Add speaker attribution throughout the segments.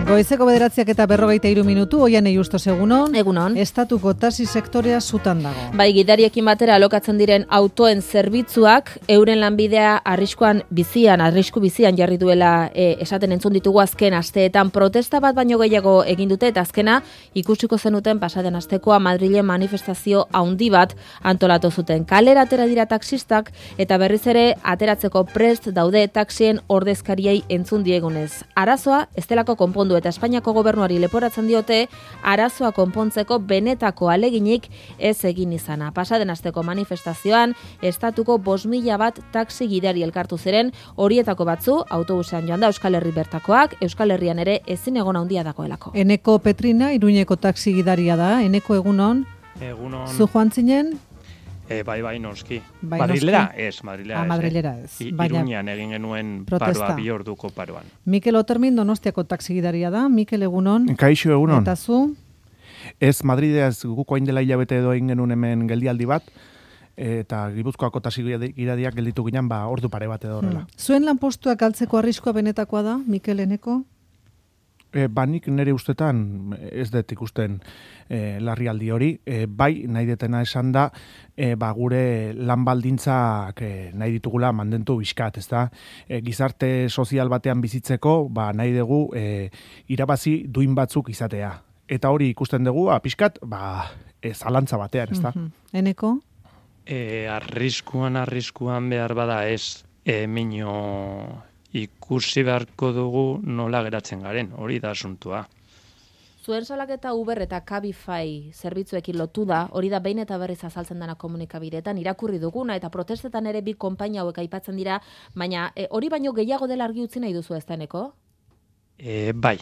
Speaker 1: Goizeko 9:43, Oiane Justos, egunon.
Speaker 2: Egunon.
Speaker 1: Estatuko taxi sektorea zutan dago.
Speaker 2: Bai, gidariekin batera alokatzen diren autoen zerbitzuak euren lanbidea arrisku bizian jarri duela esaten entzun ditugu azken asteetan. Protesta bat baino gehiago egin dute eta azkena ikusiko zenuten pasaden astekoa Madrilen manifestazio handi bat antolatu zuten. Kalera atera dira taxistak eta berriz ere ateratzeko prest daude taxien ordezkariei entzun diegunez. Arazoa ez delako konpondu eta Espainiako gobernuari leporatzen diote arazoa konpontzeko benetako aleginik ez egin izana. Pasaden asteko manifestazioan estatuko 5.000 bat taxi gidari elkartu ziren, horietako batzu autobusean joan da Euskal Herri bertakoak, Euskal Herrian ere ezin egon handia dagoelako.
Speaker 1: Eneko Petrina, Iruñeko taxi gidaria da. Eneko, egunon.
Speaker 3: Egunon.
Speaker 1: Zu joan zinen?
Speaker 3: Bai, noski.
Speaker 1: Bai,
Speaker 3: Madrilera
Speaker 1: noski?
Speaker 3: ez, Madrilera ez.
Speaker 1: Madrilera ez.
Speaker 3: Iruñan egin genuen
Speaker 1: protesta.
Speaker 3: paroa, 2 orduko paroan.
Speaker 1: Mikel Otermin, Donostiako taxi gidaria da. Mikel, egunon.
Speaker 4: Kaixo, egunon.
Speaker 1: Eta zu?
Speaker 4: Ez, Madridez guko hain dela hilabete edo egin genuen hemen geldialdi bat, eta Gipuzkoako taxi gidariak gelditu ginen, ordu pare bat edo horrela.
Speaker 1: Zuen lanpostuak galtzeko arriskua benetakoa da, Mikel, Eneko?
Speaker 4: Nik nire ustetan ez dut ikusten larrialdi hori, bai nahi detena esan da, gure lan baldintzak nahi ditugula mandentu bizkat, ez da? Gizarte sozial batean bizitzeko, nahi dugu irabazi duin batzuk izatea. Eta hori ikusten dugu, pixkat, zalantza batean, ez da?
Speaker 1: Eneko?
Speaker 3: Arriskuan behar bada ez, minio ikusi beharko dugu nola geratzen garen, hori da asuntua.
Speaker 2: Zuen salaketa Uber eta Cabify zerbitzuekin lotu da, hori da behin eta berriz azaltzen dena komunikabideetan, irakurri duguna eta protestetan ere bi konpainia hauek aipatzen dira, baina hori baino gehiago dela argi utzi nahi duzu ez deneko?
Speaker 3: Bai,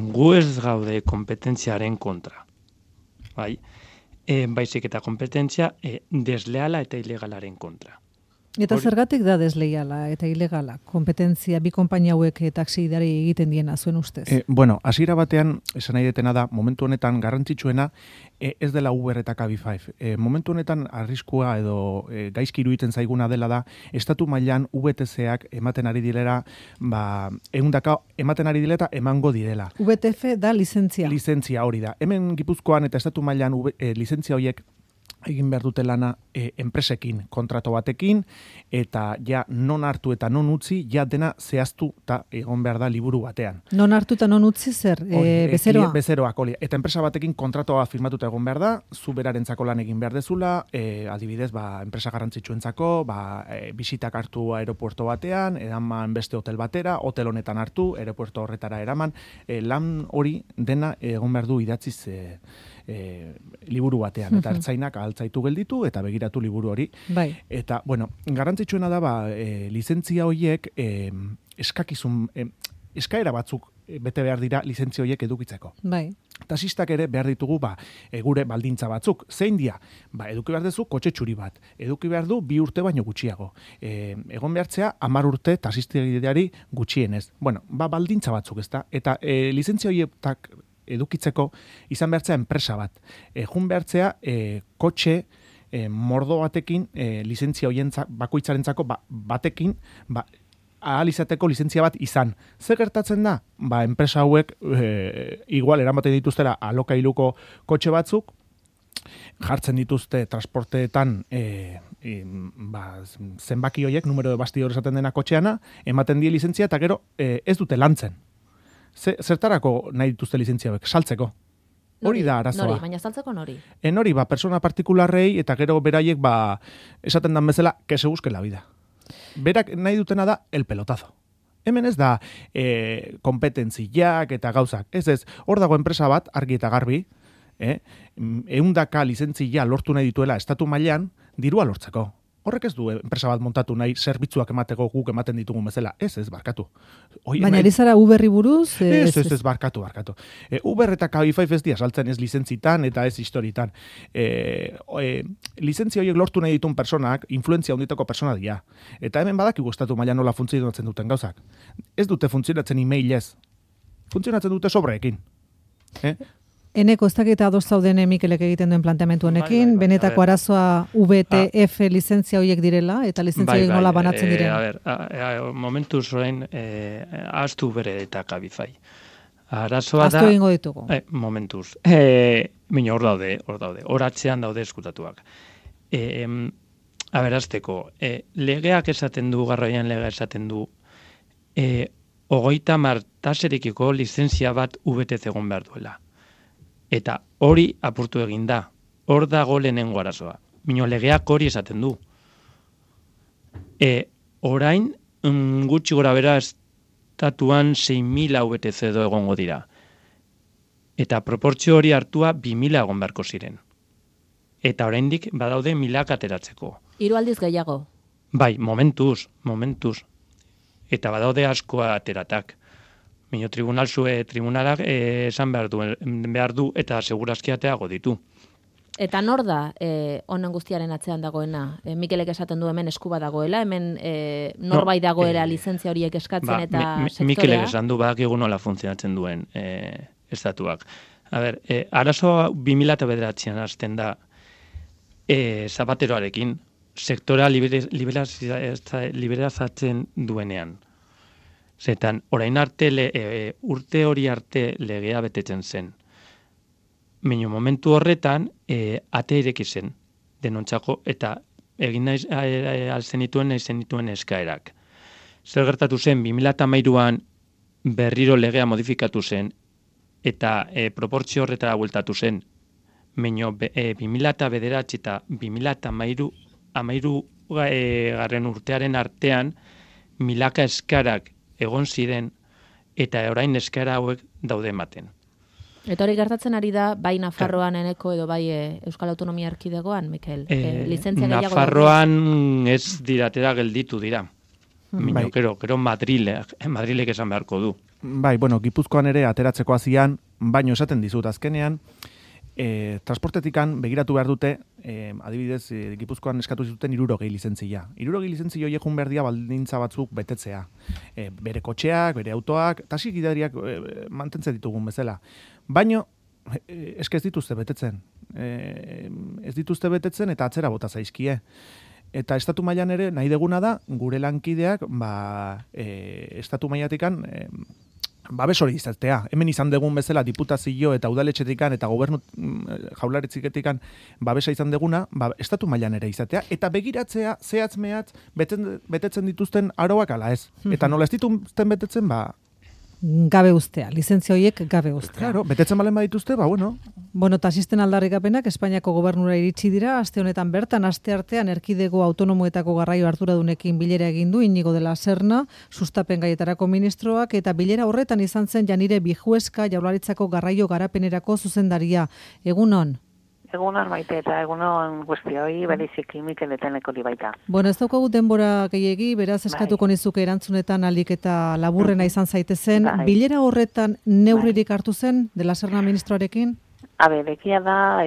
Speaker 3: gu ez gaude kompetentziaren kontra, bai, baizik eta kompetentzia desleala eta ilegalaren kontra.
Speaker 1: Eta zergatik da desleiala eta ilegala? Kompetentzia bi konpainia hauek taxi gidari egiten diena zuen ustez?
Speaker 4: Hasiera batean, esan nahi detena da, momentu honetan garrantzitsuena ez dela Uber eta Cabify. Momentu honetan arriskua edo gaizki iruditzen zaiguna dela da, estatu mailan VTC-ak ematen ari direla, 100 ematen ari direla eta emango direla.
Speaker 1: VTF da lizentzia.
Speaker 4: Lizentzia hori da. Hemen Gipuzkoan eta estatu mailan lizentzia horiek egin behar dute lana enpresekin, kontrato batekin, eta ja non hartu eta non utzi, ja dena zehaztu eta egon behar da liburu batean.
Speaker 1: Non hartu eta non utzi zer? Bezeroa?
Speaker 4: Bezeroak, hori. Eta enpresa batekin kontratoa firmatuta egon behar da, zu berarentzako lan egin behar dezula, adibidez, enpresa garrantzitsuentzako, bisitak hartu aeropuerto batean, eraman beste hotel batera, hotel honetan hartu, aeropuerto horretara eraman, lan hori dena egon behar du idatziz liburu batean, eta ertzainak altzaitu gelditu eta begiratu liburu hori.
Speaker 1: Bai.
Speaker 4: Eta, garrantzitsuena da, lizentzia horiek eskaera batzuk bete behar dira lizentzia horiek edukitzeko.
Speaker 1: Bai.
Speaker 4: Taxistak ere behar ditugu gure baldintza batzuk. Zein dia? Eduki behar duzu kotxe txuri bat. Eduki behar du 2 urte baino gutxiago. Egon behartzea 10 urte taxistiari gutxienez. Baldintza batzuk, ezta? Eta lizentzia horietak edukitzeko izan behartzea enpresa bat. Jun behartzea kotxe mordo batekin lizentzia hoientzak bakoitzarentzako batekin ahal izateko lizentzia bat izan. Zer gertatzen da? Enpresa hauek igual eramaten dituztera alokailuko kotxe batzuk, jartzen dituzte transporteetan zenbaki horiek, numero de bastidor esaten dena kotxeana, ematen die lizentzia eta gero ez dute lantzen. Zertarako nahi dituzte lizentzia hauek? Saltzeko. Hori da arazoa.
Speaker 2: Nori, baina saltzeko nori?
Speaker 4: Nori, persona partikularrei eta gero beraiek esaten dan bezala, que se busque la vida. Berak nahi dutena da el pelotazo. Hemen ez da kompetentziak eta gauzak. Ez, hor dago enpresa bat, argi eta garbi, 100 lizentzia lortu nahi dituela estatu mailan, dirua lortzeko. Horrek ez du enpresa bat montatu nahi zerbitzuak emateko guk ematen ditugun bezala. Ez, barkatu.
Speaker 1: Baina erizara Uberri buruz?
Speaker 4: Ez, barkatu. Uber eta Cabify ez dia saltzen ez lizentzitan eta ez historitan. Lizentzia horiek lortu nahi ditun personak, influentzia handitako persona dira. Eta hemen badakigu estatu mailan nola funtzionatzen duten gauzak. Ez dute funtzionatzen emailez. Funtzionatzen dute sobreekin.
Speaker 1: Eneko, ez dakit ados zauden Mikelek egiten duen planteamentu honekin, benetako arazoa VTF lizentzia horiek direla, eta lizentzia horiek nola banatzen diren?
Speaker 3: Momentuz orain, ahaztu bere eta kabifai. Arazoa da...
Speaker 1: Ahaztu egingo ditugu.
Speaker 3: Momentuz. Mino, hor daude. Hor atzean daude eskutatuak. Aberazteko, legeak esaten du, garraioan legea esaten du, 30 taserikiko lizentzia bat VTC egon behar duela. Eta hori apurtu egin da. Hor dago lehenengo arazoa. Mino, legeak hori esaten du. Orain, gutxi gora bera estatuan 6.000 VTC edo egongo dira. Eta proportzio hori hartua 2.000 egon beharko ziren. Eta oraindik badaude 1.000 ateratzeko.
Speaker 2: 3 aldiz gehiago.
Speaker 3: Bai, momentuz. Eta badaude askoa ateratak. Mino, tribunalak esan behar du eta segurazki ateago ditu.
Speaker 2: Eta nor da honen guztiaren atzean dagoena? Mikelek esaten du hemen esku bat dagoela, hemen norbait dagoela lizentzia horiek eskatzen eta sektorea?
Speaker 3: Mikelek esan du badakigu nola funtzionatzen duen estatuak. Arazoa 2009an hasten da Zapateroarekin, sektora liberazatzen duenean. Zetan, orain arte, urte hori arte legea betetzen zen. Baina momentu horretan, ate ireki zen, denontzako, eta egin nahi zenituen eskaerak. Zer gertatu zen, 2013an berriro legea modifikatu zen, eta proportzio horretara bueltatu zen. Baina 2009 eta 2013 garren urtearen artean, milaka eskarak egon ziren, eta orain eskara hauek daude ematen.
Speaker 2: Eta hori gertatzen ari da, bai Nafarroan Eneko edo bai Euskal Autonomia Erkidegoan, Mikel? Lizentzia gehiago
Speaker 3: Nafarroan ez diratera gelditu dira. Mino, gero Madrilek esan beharko du.
Speaker 4: Bai, Gipuzkoan ere ateratzeko hazian, baino esaten dizut azkenean, transportetikan begiratu behar dute, adibidez, Gipuzkoan eskatu zuten 60 lizentzia. 60 lizentzia horiek jun behar dia baldintza batzuk betetzea. Bere kotxeak, bere autoak, taxi gidariak mantentzen ditugun bezala. Baino, ez dituzte betetzen. Ez dituzte betetzen eta atzera bota zaizkie. Eta estatu mailan ere nahi deguna da, gure lankideak, estatu mailatikan, babes hori izatea. Hemen izan dugun bezala diputazio eta udaletxetikan eta gobernu jaurlaritziketikan babesa izan deguna, estatu mailan ere izatea, eta begiratzea zehatz mehatz betetzen dituzten aroak ala ez. Eta nola ez dituzten betetzen,
Speaker 1: gabe ustea, lizentzia horiek gabe ustea.
Speaker 4: Claro, betetzen balen badituzte,
Speaker 1: Tasisten aldarrikapenak Espainiako gobernura iritsi dira, aste honetan bertan, aste artean erkidego autonomoetako garraio arduradunekin bilera egin du Inigo de la Serna, sustapen gaietarako ministroak, eta bilera horretan izan zen Janire Bijueska Jaurlaritzako garraio garapenerako zuzendaria. Egunon?
Speaker 5: Egunon Maite eta egunon guztioi, bereziki Mikel eta Eneko baita.
Speaker 1: Ez daukagu denbora gehiegi, beraz eskatuko nizuke erantzunetan alik eta laburrena izan zaitezen. Bilera horretan neurririk hartu zen de la Serna ministroarekin?
Speaker 5: Egia da,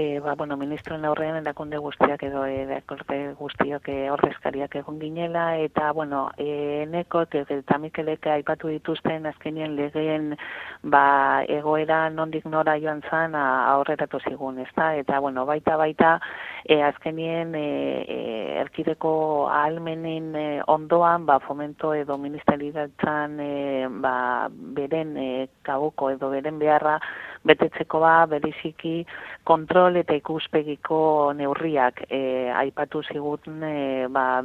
Speaker 5: ministroen aurrean erakunde guztiak edo erakunde guztiok ordezkariak egon ginela, eta, Eneko eta Mikelek aipatu dituzten azkenien legeen egoera nondik nora joan zan aurreratu zigun, ezta? Eta, baita, azkenien erkideko ahalmenen ondoan, fomento edo ministeritzan beren kabuko edo beren beharra betetzeko bereziki kontrol eta ikuspegiko neurriak aipatu ziguten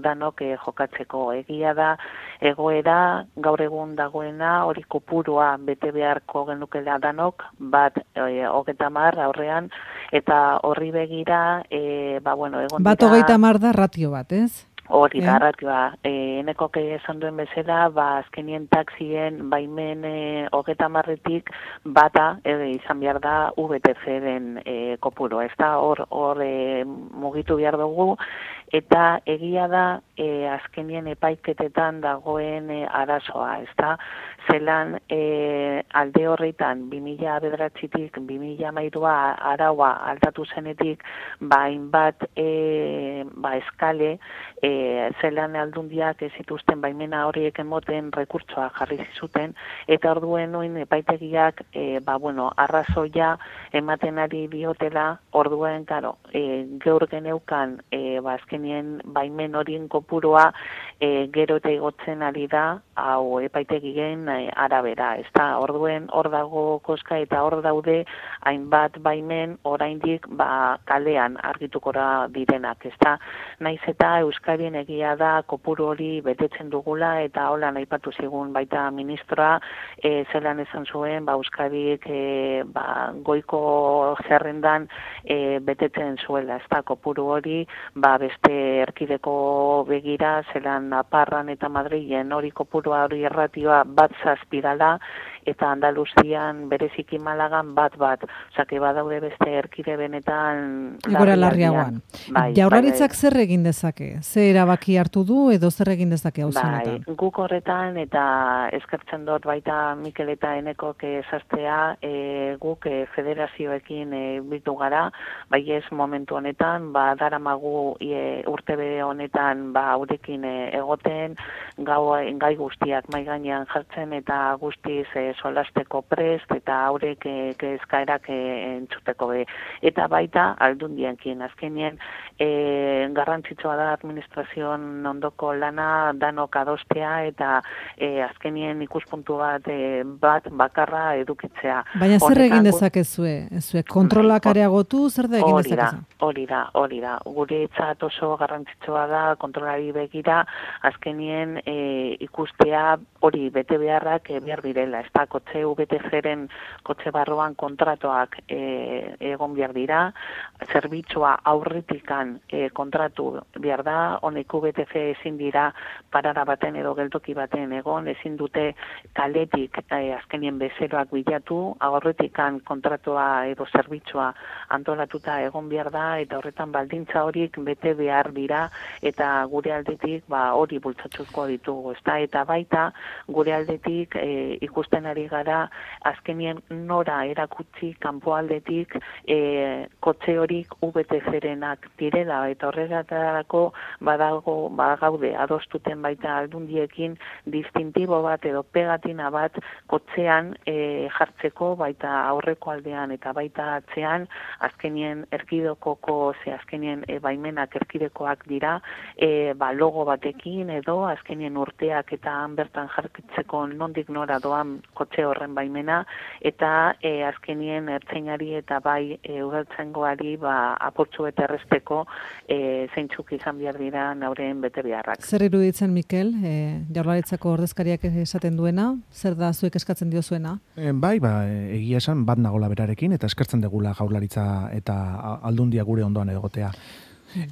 Speaker 5: danok jokatzeko. Egia da, egoera gaur egun dagoena hori kopurua bete beharko genukela danok, 30 aurrean, eta horri begira, egon dira...
Speaker 1: 30 da ratio bat, ez?
Speaker 5: Hori da, ratioa. Eneko esan duen bezala, azkenien taxien baimen 30-tik bata izan behar da VTC-den kopuro. Ez da, hor mugitu behar dugu, eta egia da azkenien epaiketetan dagoen arazoa, ezta? Zelan alde horretan 2009tik 2013 araua aldatu zenetik hainbat eskale zelan aldundiak ez zituzten baimena horiek emoten rekurtsoa jarri zuten eta orduen noin epaitegiak arrazoia ematen ari diotela orduen gaur geneukan azkenien baimen horien kopurua gero eta igotzen ari da hau epaitegien arabera, ezta? Orduen hor dago koska eta hor daude hainbat baimen oraindik kalean argitukora direnak, ezta? Naiz eta Euskarien egia da kopuru hori betetzen dugula eta hola aipatu zigun baita ministroa zelan esan zuen Euskarik goiko zerrendan betetzen zuela, ezta? Kopuru hori beste erkideko begira zelan Naparran eta Madrilen hori kopurua hori erratioa bat zazpidala eta Andaluzian bereziki Malagan bat. Osake badaude beste erkide benetan
Speaker 1: egora larriagoan. Jaurlaritzak zer egin dezake? Ze erabaki hartu du edo zer egin dezake auzi honetan?
Speaker 5: Guk horretan eta eskertzen dut baita Mikel eta Enekok esastea guk federazioekin bildu gara, bai ez momentu honetan, daramagu urtebe honetan haurekin egoten, gai guztiak mai gainean jartzen eta guztiz solasteko prest eta haurek eskaerak entzuteko be. Eta baita aldundienkin azkenien garrantzitsua da administrazioan ondoko lana danok adostea eta azkenien ikuspuntu bat bakarra edukitzea.
Speaker 1: Baina zer egin dezakezue? Kontrolak areagotu, zer da egin dezakezu?
Speaker 5: Hori da. Guretzat oso garrantzitsua da kontrolari begira azkenien ikustea hori bete beharrak behar direla. Ez da, kotxe UBTC-ren kotxe barroan kontratuak egon behar dira, zerbitzua aurretikan kontratu behar da, honek UBTC ezin dira parara baten edo geltoki baten egon, ezin dute kaletik azkenien bezeroak bilatu, aurretikan kontratua edo zerbitzua antolatuta egon behar da, eta horretan baldintza horik bete behar dira, eta gure aldetik hori bultzatuko ditugu, ezta? Eta baita gure aldetik ikusten ari gara azkenien nora erakutsi kanpo aldetik kotxe horik UBTC-renak direla, eta horretarako badagaude adostuten baita aldundiekin distintibo bat edo pegatina bat kotxean jartzeko baita aurreko aldean eta baita atzean azkenien erkidekoko azkenien baimenak erkidekoak dira logo batekin edo azkenien urteak eta han bertan jarkitzeko nondik nora doan kotxe horren baimena eta azkenien ertzainari eta bai udaltzaingoari apurtxu eta erresteko zeintzuk izan behar dira nauren bete beharrak.
Speaker 1: Zer iruditzen, Mikel, Jaurlaritzako ordezkariak esaten duena? Zer da zuek eskatzen diozuena?
Speaker 4: Egia esan bat nagola berarekin eta eskertzen degula Jaurlaritza eta aldundia gure ondoan egotea.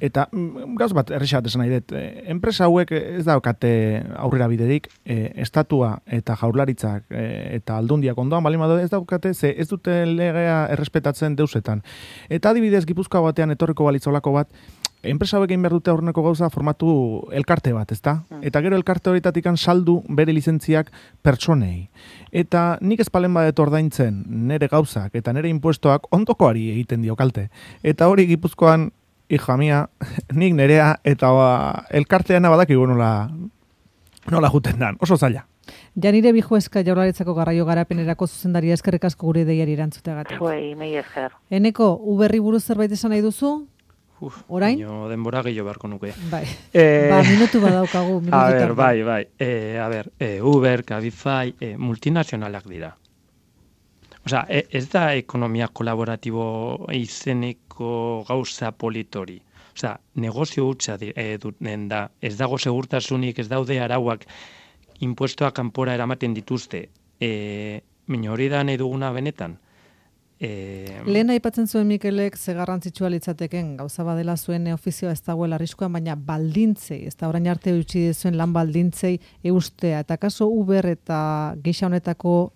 Speaker 4: Eta gauz bat errexat esan nahi dut, enpresa hauek ez daukate aurrera biderik, estatua eta Jaurlaritzak eta aldundiak ondoan bali madu ez daukate, ze ez dute legea errespetatzen deusetan. Eta adibidez Gipuzkoa batean etorriko balitzolako bat, enpresa hauek egin behar dute aurreneko gauza formatu elkarte bat, ezta? Eta gero elkarte horretatik saldu bere lizentziak pertsonei. Eta nik ez palen badet ordaintzen nere gauzak eta nere impuestoak ondokoari egiten dio kalte. Eta hori Gipuzkoan hija mia, nik nerea eta elkarteana badakigu nola juten dan, oso zaila.
Speaker 1: Janire Bijueska Jaurlaritzako garraio garapenerako zuzendaria eskerrik asko gure deiari erantzuteagatik.
Speaker 5: Zuei, mei esker.
Speaker 1: Eneko, Uberri buruz zerbait esan nahi duzu? Orain?
Speaker 3: Denbora gehiago beharko nuke.
Speaker 1: Bai, minutu badaukagu.
Speaker 3: Uber, Cabify, multinazionalak dira. Osea, ez da ekonomia kolaboratibo izeneko gauza politori. Osea, negozio hutsa duten da. Ez dago segurtasunik, ez daude arauak impuestoak kanpora eramaten dituzte. Baina hori da nahi duguna benetan.
Speaker 1: Lehen aipatzen zuen Mikelek ze garrantzitsua litzateken gauza badela zuen ofizioa ez dagoela arriskuan, baina baldintzei, ez da orain arte utzi zuen lan baldintzei eustea. Eta kaso Uber eta gisa honetako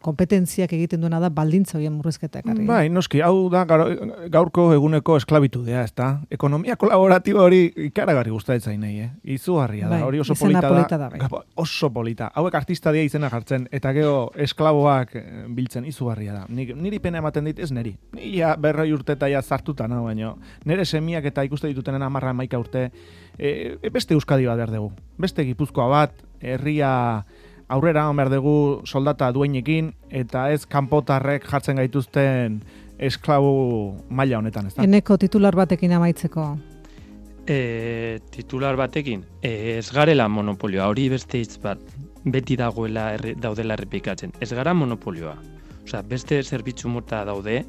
Speaker 1: kompetentziak egiten duena da baldintza horien murrizketa ekarri.
Speaker 4: Bai, noski, hau da gaurko eguneko esklabitudea, ez da? Ekonomia kolaboratiba hori ikaragarri gustatzen nahi, izugarria da, hori oso polita da. Oso polita. Hauek artista dia izena jartzen, eta gero esklaboak biltzen izugarria da. Niri pena ematen dit, ez niri. Ia 40 urte eta ja zartuta, no, baina nire semiak eta ikuste ditutenen 10 urte, beste Euskadi bat behar dugu. Beste Gipuzkoa bat, herria aurrera behar dugu soldata duenekin, eta ez kanpotarrek jartzen gaituzten esklabu maila honetan, ez da?
Speaker 1: Eneko titular batekin amaitzeko.
Speaker 3: Titular batekin, ez garela monopolioa, hori beste hitz bat, beti daudela errepikatzen. Ez gara monopolioa. Osea, beste zerbitzu mota daude,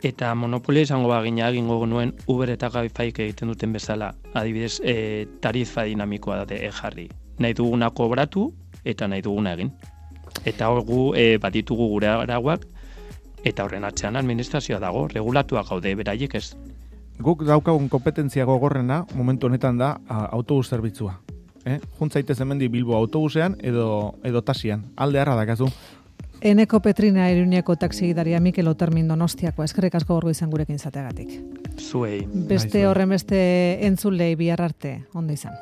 Speaker 3: eta monopolio izango bagina egingo genuen Uber eta Cabifyk egiten duten bezala, adibidez, tarifa dinamikoa da jarri. Nahi duguna kobratu eta nahi duguna egin. Eta hor gu bat ditugu gure arauak, eta horren atzean administrazioa dago, regulatuak gaude, beraiek ez.
Speaker 4: Guk daukagun kompetentzia gogorrena momentu honetan da autobus zerbitzua. Juntzaitez hemendi Bilbo autobusean edo taxian. Alde harra dakazu.
Speaker 1: Eneko Petrina Iruñeko taxigidaria Mikel Otermin Donostiakoa, eskerrik asko gorgo izan gurekin izateagatik.
Speaker 3: Zuei.
Speaker 1: Beste horren beste entzulei bihar arte, ondo izan.